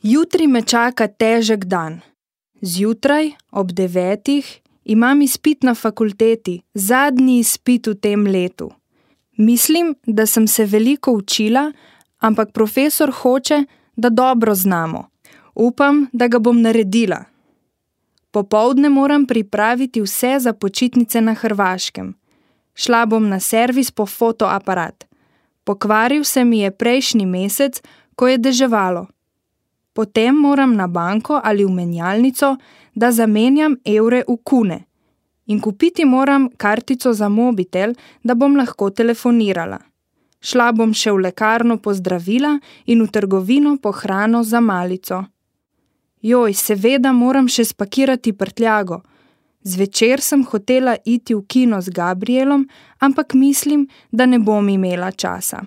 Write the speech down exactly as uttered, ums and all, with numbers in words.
Jutri me čaka težek dan. Zjutraj, ob devetih, imam izpit na fakulteti, zadnji izpit v tem letu. Mislim, da sem se veliko učila, ampak profesor hoče, da dobro znamo. Upam, da ga bom naredila. Popoldne moram pripraviti vse za počitnice na Hrvaškem. Šla bom na servis po fotoaparat. Pokvaril se mi je prejšnji mesec, ko je deževalo. Potem moram na banko ali v menjalnico, da zamenjam evre v kune. In kupiti moram kartico za mobitel, da bom lahko telefonirala. Šla bom še v lekarno po zdravila in v trgovino po hrano za malico. Joj, seveda moram še spakirati prtljago. Zvečer sem hotela iti v kino z Gabrielom, ampak mislim, da ne bom imela časa.